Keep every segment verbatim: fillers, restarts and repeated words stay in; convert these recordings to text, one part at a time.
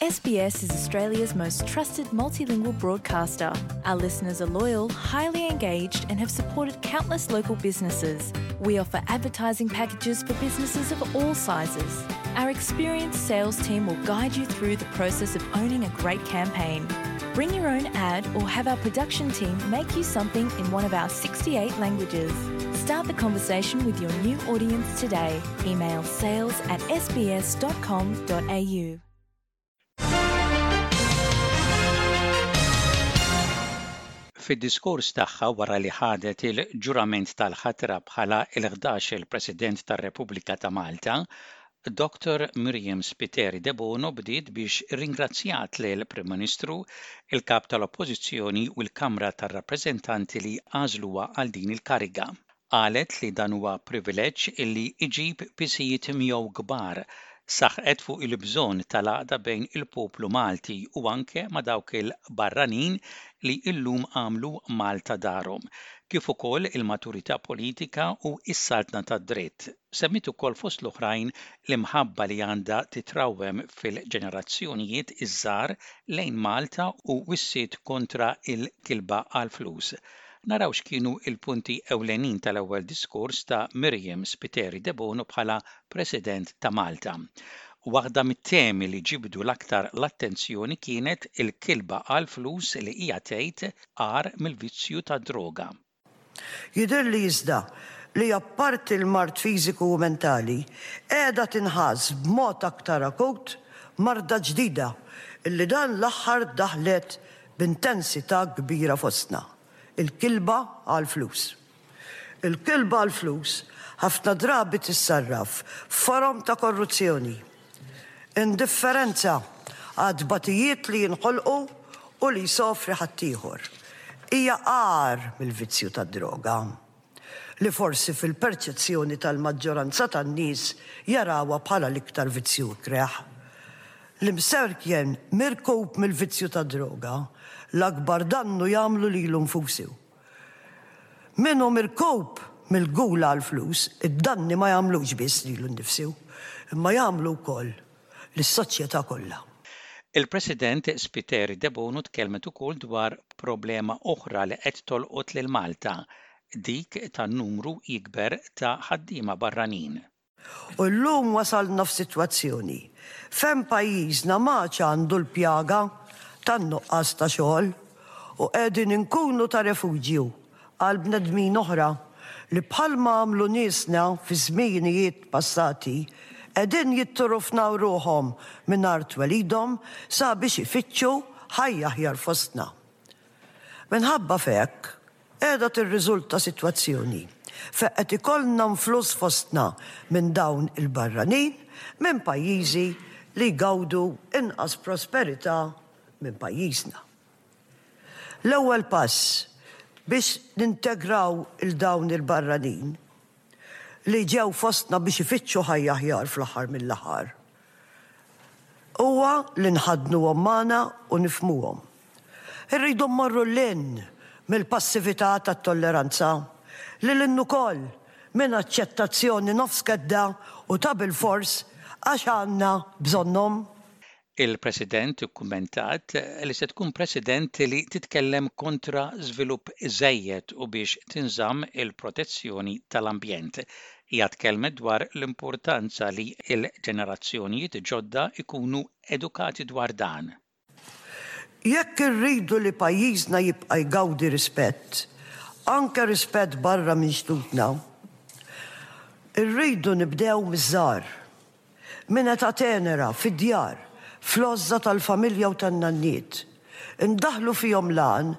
S B S is Australia's most trusted multilingual broadcaster. Our listeners are loyal, highly engaged, and have supported countless local businesses. We offer advertising packages for businesses of all sizes. Our experienced sales team will guide you through the process of owning a great campaign. Bring your own ad or have our production team make you something in one of our sixty-eight languages. Start the conversation with your new audience today. Email sales at S B S dot com dot A U. Fid-diskors tagħha wara li ħadet il-ġurament tal-ħatra bħala il-ħdax il-President tar-Repubblika ta' Malta, Doctor Myriam Spiteri Debono bdiet biex ringrazzjat lil Prim Ministru, il-Kap tal-Oppożizzjoni u l-Kamra tar-Rappreżentanti li għażluha għal din il-kariga. Qalet li dan huwa privileġġ illi iġib pisijiet miegħu kbar. Saħqet fuq il-bżonn tal-għaqda bejn il-poplu Malti u anke ma' dawk il-barranin li illum għamlu Malta darhom, kif ukoll il-maturità politika u s-saltna tad-dritt. Semmit ukoll fost l-oħrajn l-imħabba li għandha titrawwem fil-ġenerazzjonijiet iż-żgħar lejn Malta u wissiet kontra il-kilba għal-flus. Naraw x'kienu il-punti ewlenin tal-ewwel diskors ta' Myriam Spiteri Debono bħala President ta' Malta. Waħda mit-temi li ġibdu l-aktar l-attenzjoni kienet il-kilba għal flus li hija tgħid agħar mill-vizzju tad-droga. Jidher li iżda li apparti l-mard fiżiku u mentali, qiegħda tinħass b'mod aktar akut marda ġdida illi dan l-aħħar daħlet b'intensità kbira fostna: il-kilba għal-flus. Il-kilba għal-flus ħafna drabi tissarraf forom ta' korruzzjoni, indifferenza għat-tbatijiet li jinħolqu u li jsofri ħaddieħor. Hija agħar mill-vizzju tad-droga li forsi fil-perċezzjoni tal-maġġoranza tan-nies jarawha bħala l-iktar vizzju ikreh. L-imsejken mirkub mill-vizzju tad-droga l-akbar dannu jagħmlu lilu nfusu. Min hu mirkub mill-gula għal-flus, id-danni ma jagħmlux biss lilu nnifsu, imma jagħmlu wkoll lis-soċjetà kollha. Il-President Spiteri Debono tkellmet ukoll dwar problema oħra li qed tolqot lil Malta, dik tan-numru jikber ta' ħaddiema barranin. U llum wasalna f'sitwazzjoni fejn pajjiżna m'għadx għandu l-pjaga tan-nuqqas ta' xogħol u qegħdin inkunu ta' refuġju għal bnedmin oħra li, bħalma għamlu niesna fi żminijiet passati, qegħdin jitturufnaw ruħhom minn art twelidhom sabiex ifittxu ħajja aħjar fostna. Minħabba f'hekk, qiegħda tirriżulta sitwazzjoni fejn qed ikollna influss fostna minn dawn il-barranin minn pajjiżi li jgawdu inqas prosperità minn pajjiżna. L-ewwel pass biex nintegraw lil dawn il-barranin li ġew fostna biex ifittxu ħajja aħjar fl-aħħar mill-aħħar huwa li nħaddnuhom magħna u nifhmuhom. Irridu mmorru lil hinn mill-passività tat-tolleranza, lil hinn ukoll minn aċċettazzjoni nofs kedda u ta' bil-fors għax għandna bżonnhom. Il-President ikkummentat li se tkun President li titkellem kontra żvilupp żejjed u biex tinżamm il-protezzjoni tal-ambjent. Hija tkellmet dwar l-importanza li l-ġenerazzjonijiet ġodda ikunu edukati dwar dan. Jekk irridu li pajjiżna jibqa' jgawdi rispett, anke rispett barra minn xtutna, irridu nibdew miż-żgħar. Minn età tenera, fid-djar, fl-għożża tal-familja u tan-nanniet. Indaħlu fihom l-għan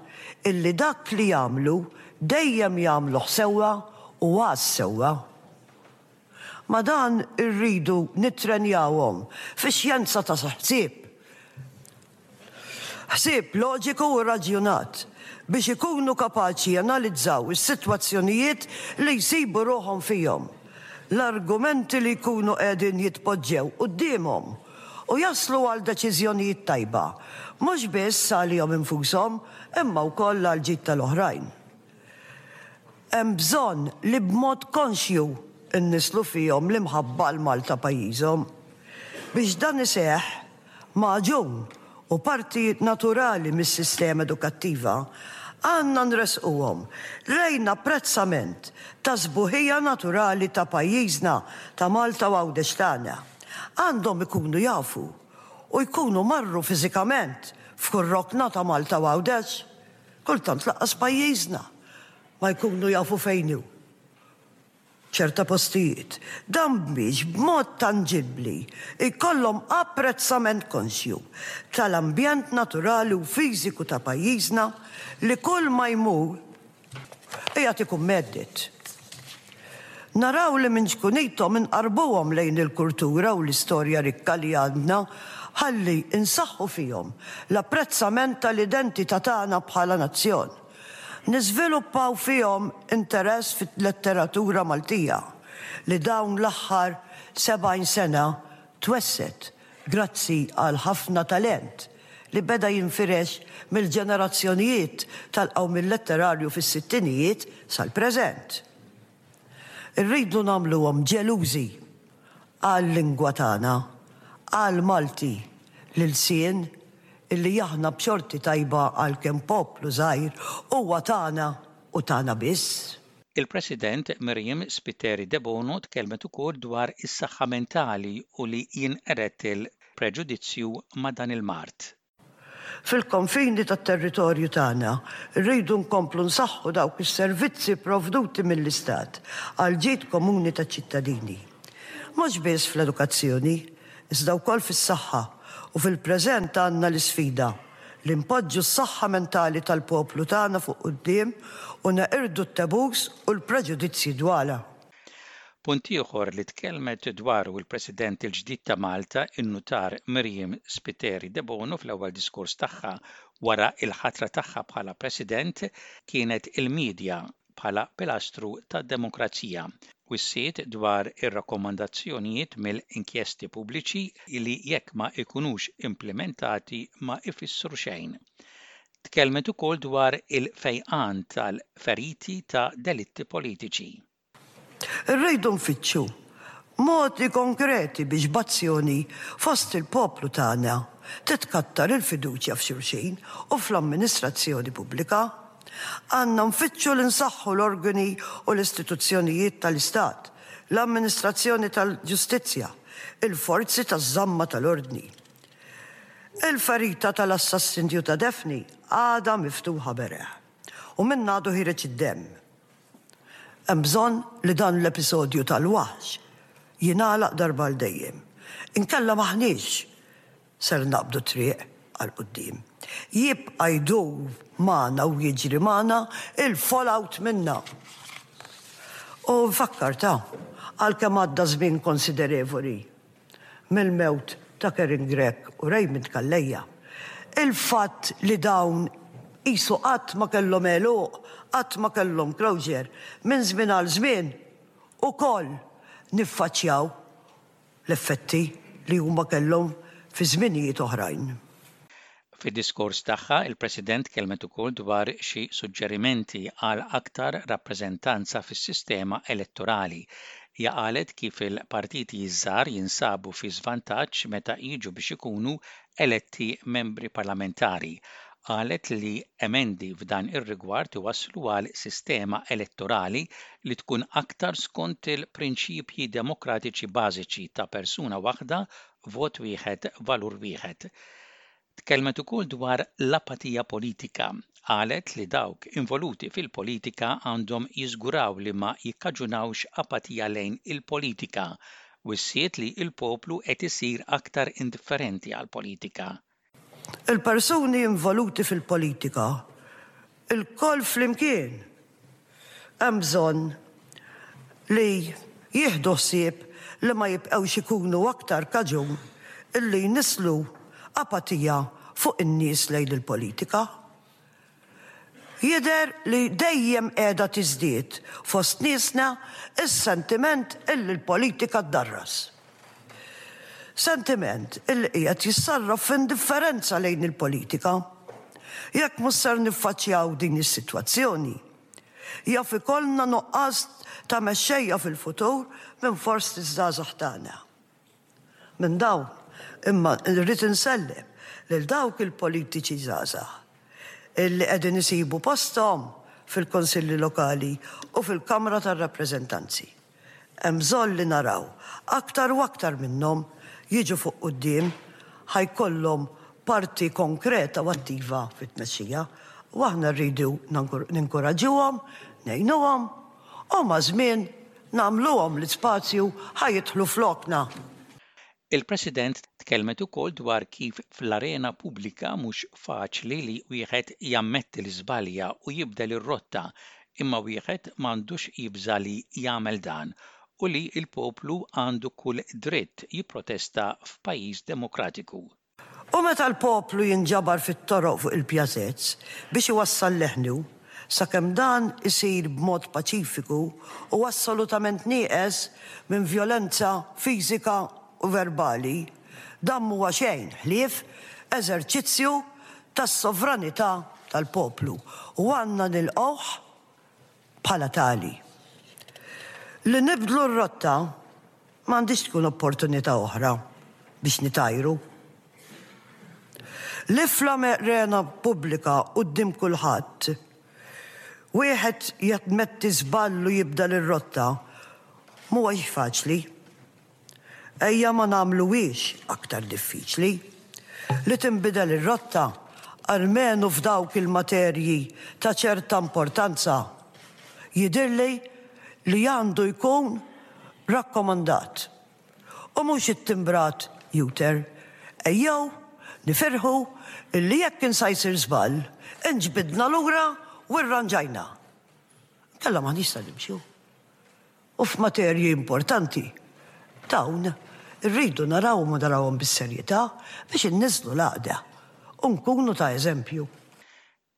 illi dak li jagħmlu dejjem jagħmluh sewwa u għas-sewwa. Ma' dan irridu nittrenjawhom fi xjenza ta' ħsieb. Ħsieb loġiku u raġjonat biex ikunu kapaċi janalizzaw is-sitwazzjonijiet li jsibu ruħhom fihom, l-argumenti li jkunu qegħdin jitpoġġew quddiemhom, u jaslu għal deċiżjonijiet tajba, mhux biss għalihom infushom imma wkoll għal ġid tal-oħrajn. Hemm bżonn li b'mod konxju innisslu fihom l-imħabba għal Malta pajjiżhom. Biex dan iseħħ magħġun u parti naturali mis-sistema edukattiva, għandna nresquhom lejn apprezzament ta' sbuħija naturali ta' pajjiżna, ta' Malta u Għawdex tagħna. Għandhom ikunu jafu u jkunu marru fiżikament f'kull rokna ta' Malta u Għawdex. Kultant lanqas pajjiżna ma jkunu jafu fejn hu ċerta postijiet. Dan biex b'mod tanġibbli jkollhom apprezzament konxju tal-ambjent naturali u fiżiku ta' pajjiżna li kull ma jmur qiegħed ikun mhedded. Naraw li minn ċkunithom inqarbuhom lejn il-kultura u l-istorja rikka li għandna ħalli insaħħu fihom l-apprezzament tal-identità tagħna bħala nazzjon. Niżviluppaw fihom interess fit-letteratura Maltija li dawn l-aħħar sebgħin sena twessgħet grazzi għal ħafna talent li beda jinfirex mill-ġenerazzjonijiet tal-qawmien letterarju fis-sittinijiet sal-preżent. Irridu nagħmluhom ġelużi għal-lingwa tagħna, għal-Malti, l-ilsien illi aħna b'xorti tajba għalkemm poplu żgħir huwa tagħna u tagħna biss. Il-President Myriam Spiteri Debono tkellmet ukoll dwar is-saħħa mentali u li jinqered il-preġudizzju ma' dan il-mard. Fil-konfini tat-territorju tagħna rridu nkomplu nsaħħu dawk is-servizzi provduti mill-Istat għal ġid komuni taċ-ċittadini. Mhux biss fl-edukazzjoni, iżda wkoll fis-saħħa, u fil-preżent għandna l-isfida li npoġġu s-saħħa mentali tal-poplu tagħna fuq quddiem u neqirdu t-tabus u l-preġudizzji dwarha. Punt ieħor li tkellmet dwaru il-President il-ġdid ta' Malta, in-nutar Myriam Spiteri Debono, fl-ewwel diskors tagħha wara il-ħatra tagħha bħala President kienet il-medja bħala pilastru tad-demokrazija. Wissiet dwar ir-rakkomandazzjonijiet mill-inkjesti pubbliċi li jekk ma ikunux implementati ma ifissru xejn. Tkellmet ukoll dwar il-fejqan tal-feriti ta' delitti politiċi. Irridu nfittxu modi konkreti biex b'azzjoni fost il-poplu tagħna titkattar il-fiduċja f'xulxin u fl-amministrazzjoni pubblika. Għandna nfittxu li nsaħħu l-organi u l-istituzzjonijiet tal-Istat, l-amministrazzjoni tal-ġustizzja, il-forzi taż-żamma tal-ordni. Il-ferita tal-assassinju ta' Daphne għadha miftuħa beraħ u minn għadu ħiereġ id-demm. Hemm bżonn li dan l-episodju tal-waħx jingħalaq darba għal dejjem. Inkella m'aħniex ser naqbdu triq għal quddiem. Jibqa' jdur magħna u jiġri magħna il-fallout minna. U nfakkar ta' għalkemm għadda żmien konsiderevoli mill-mewt ta' Karin Grech u Raymond Calleja. Il-fatt li dawn qisu qatt ma kellhom għeluq, qatt ma kellhom closure, minn żmien għal żmien ukoll niffaċċjaw l-effetti li huma kellhom fi żminijiet oħrajn. Fid-diskors tagħha, il-President kellmet ukoll dwar xi suġġerimenti għal aktar rappreżentanza fis-sistema elettorali. Hija qalet kif il-partiti żgħar jinsabu fi żvantaġġ meta jiġu biex ikunu eletti membri parlamentari. Qalet li emendi f'dan ir-rigward iwasslu għal sistema elettorali li tkun aktar skont il-prinċipji demokratiċi bażiċi ta' persuna waħda, vot wieħed, valur wieħed. Tkellmet ukoll dwar l-apatija politika. Qalet li dawk involuti fil-politika għandhom jiżguraw li ma jikkaġunawx apatija lejn il-politika. Wissiet li il-poplu qed isir aktar indifferenti għal-politika. Il-persuni involuti fil-politika, ilkoll flimkien, hemm bżonn li jieħdu ħsieb li ma jibqgħux ikunu aktar kaġun illi jnisslu apatija fuq in-nies lejn il-politika. Jidher li dejjem qiegħda tiżdied fost niesna is-sentiment illi l-politika ddarras. Sentiment illi qiegħed jissarraf f'indifferenza lejn il-politika. Jekk mhux ser niffaċċjaw din is-sitwazzjoni, jaf ikollna nuqqas ta' mexxejja fil-futur minn fost iż-żgħażagħ tagħna. Minn dawn Imma rrid insellem lil dawk il-politiċi żgħażagħ illi qegħdin isibu posthom fil-Konsilli Lokali u fil-Kamra tar-Rappreżentanzi. Hemm bżonn li naraw aktar u aktar minnhom jiġu fuq quddiem, ħa jkollhom parti konkreta u attiva fit-tmexxija u aħna rridu ninkoraġġuhom, ngħinuhom u maż-żmien nagħmluhom l-ispazju ħa jidħlu flokna. Il-President tkellmet ukoll dwar kif fl-arena pubblika mhux faċli li wieħed jammetti l-iżbalja u jibdel ir-rotta, imma wieħed m'għandux jibża li jagħmel dan u li l-poplu għandu kull dritt jipprotesta f'pajjiż demokratiku. U meta l-poplu jinġabar fit-toroq, fuq il-pjazez, biex iwassal leħnu, sakemm dan isir b'mod paċifiku u assolutament nieqes minn violenza fiżika u verbali, dan huwa xejn ħlief eżerċizzju tas-sovranità tal-poplu u għandna nilqgħuh bħala tali. Li nibdlu r-rotta m'għandix tkun opportunità oħra biex nitajru. Li fl-arena pubblika quddiem kulħadd wieħed jammetti żball u jibdel ir-rotta mhuwiex faċli. Ejja ma nagħmluhiex aktar diffiċli. Li tinbidel ir-rotta, almenu f'dawk il-materji ta' ċerta importanza, jidirli li għandu jkun rakkomandat. U mhux ittimbrat U-turn. Ejjew nifirħu illi jekk kien sa jsir żball, inġbidna lura u rranġajna. Kella ma nista' nimxu. U f'materji importanti, dawn irridu naraw ma narawhom bis-serjetà biex inniżlu l-għaqda u nkunu ta' eżempju.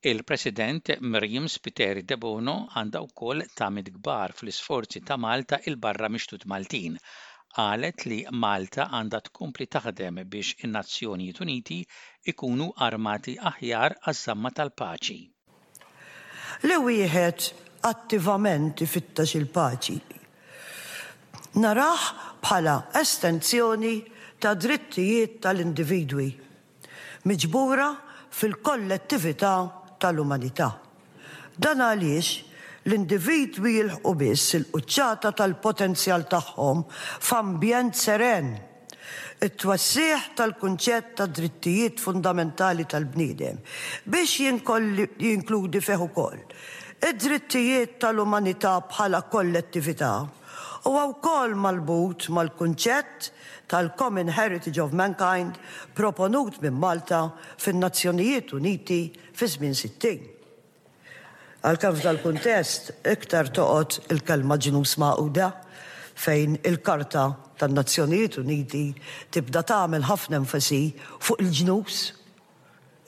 Il-President Myriam Spiteri Debono għandha wkoll tamiet kbar fl-isforzi ta' Malta 'il barra mix-xtut Maltin. Qalet li Malta għandha tkompli taħdem biex in-Nazzjonijiet Uniti ikunu armati aħjar għaż-żamma tal-paċi. Li wieħed attivament ifittex il-paċi narah bħala estensjoni ta' drittijiet tal-individwi miġbura fil-kollettività tal-umanità. Dan għaliex l-individwi jilħqu biss il-quċċata tal-potenzjal tagħhom f'ambjent seren. It-twessiħ tal-kunċett ta' drittijiet fundamentali tal-bniedem biex jinkludi fih ukoll id-drittijiet tal-umanità bħala kollettività huwa wkoll marbut mal-kunċett tal-Common Heritage of Mankind proponut minn Malta fin-Nazzjonijiet Uniti fi żmien sittin. Għalkemm f'dal-kuntest iktar toqgħod il-kelma Ġnus Magħquda, fejn il-Karta tan-Nazzjonijiet Uniti tibda tagħmel ħafna enfasi fuq il-ġnus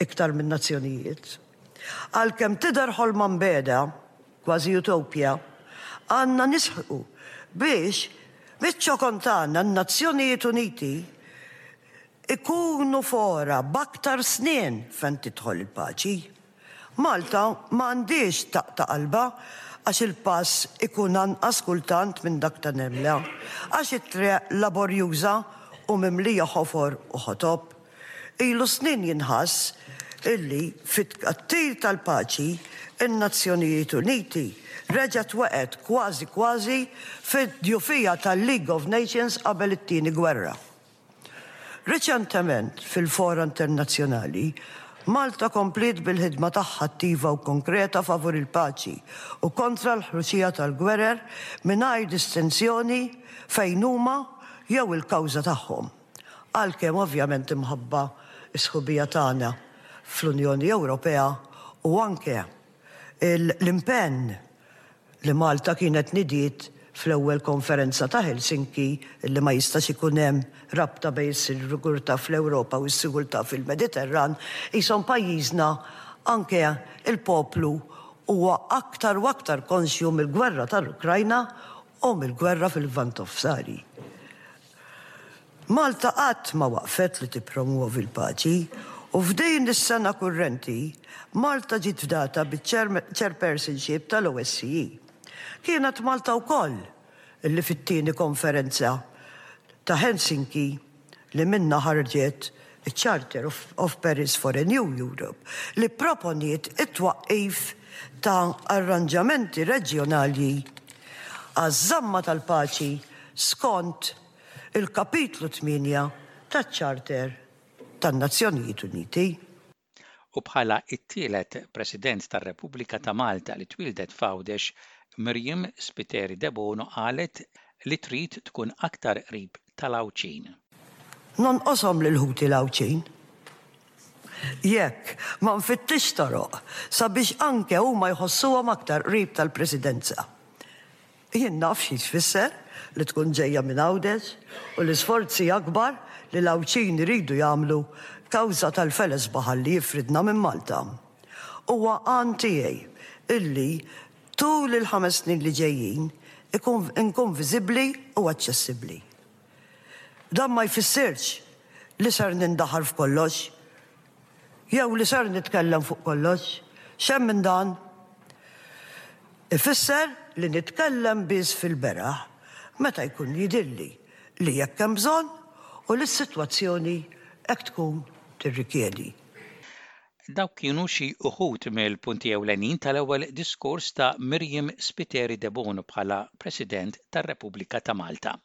iktar minn nazzjonijiet. Għalkemm tidher ħolma mbiegħda, kważi utopja, għandna nisħqu biex biċ-ċokon tagħna n-Nazzjonijiet Uniti ikunu fora b'aktar snien fejn tidħol il-paċi. Malta ma għandix taqta' qalba għax il-pass ikun anqas kultant minn dak ta' nemla, għax it-triq laborjuża u mimlija ħofor u ħotob. Ilu snin jinħass illi fit-tkattir tal-paċi in-Nazzjonijiet Uniti reġgħet waqgħet kważi kważi fid-djufija tal-League of Nations qabel it-tieni gwerra. Reċentement fil-fora internazzjonali, Malta kompliet bil-ħidma tagħha attiva u konkreta favur il-paċi u kontra l-ħruxija tal-gwerer mingħajr distinzjoni fejn huma jew il-kawża tagħhom. Għalkemm ovvjament imħabba s-sħubija tagħna fl-Unjoni Ewropea u anke l-impenn li Malta kienet nidiet fl-ewwel konferenza ta' Helsinki li ma jistax ikun hemm rabta bejn is-sigurtà fl-Ewropa u s-sigurtà fil-Mediterran, qishom pajjiżna, anke il-poplu, huwa aktar u aktar konxju mill-gwerra tal-Ukrajna u mill-gwerra fil-Lvant Nofsani. Malta qatt ma waqfet li tippromuovi l-paċi u f'din is-sena kurrenti Malta ġiet fdata biċ-chairpersonship tal-O S C E. Kienet Malta wkoll illi fit-tieni konferenza ta' Helsinki li minnha ħarġet Charter of, of Paris for a New Europe, li proponiet it-twaqqif ta' arranġamenti reġjonali għaż-żamma tal-paċi skont il-kapitlu tmienja taċ-Charter tan-Nazzjonijiet Uniti. U bħala it-tielet President tar-Repubblika ta' Malta li twildet f'Għawdex, Myriam Spiteri Debono qalet li trid tkun aktar qrib tal-Għawdxin. Nonqoshom lil ħuti l-Għawdxin jekk ma nfittix toroq sabiex anke huma jħossuhom aktar qrib tal-Presidenza. Jien naf xi tfisser li tkun ġejja minn Għawdex u l-isforzi akbar li l-Għawdxin iridu jagħmlu kawża tal-feles baħar li jifridna minn Malta. Huwa għan tiegħi illi tul il-ħames snin li ġejjin ikun inkun viżibbli u aċċessibbli. Dan ma jfissirx li ser nindaħal f'kollox, jew li ser nitkellem fuq kollox, xejn minn dan. Ifisser li nitkellem biss fil-beraħ meta jkun jidhirli li jekk hemm bżonn u li s-sitwazzjoni hekk tkun tirrikjedi. Dawk kienu xi uħud mill-punti ewlenin tal-ewwel diskors ta' Myriam Spiteri Debono bħala President tar-Repubblika ta' Malta.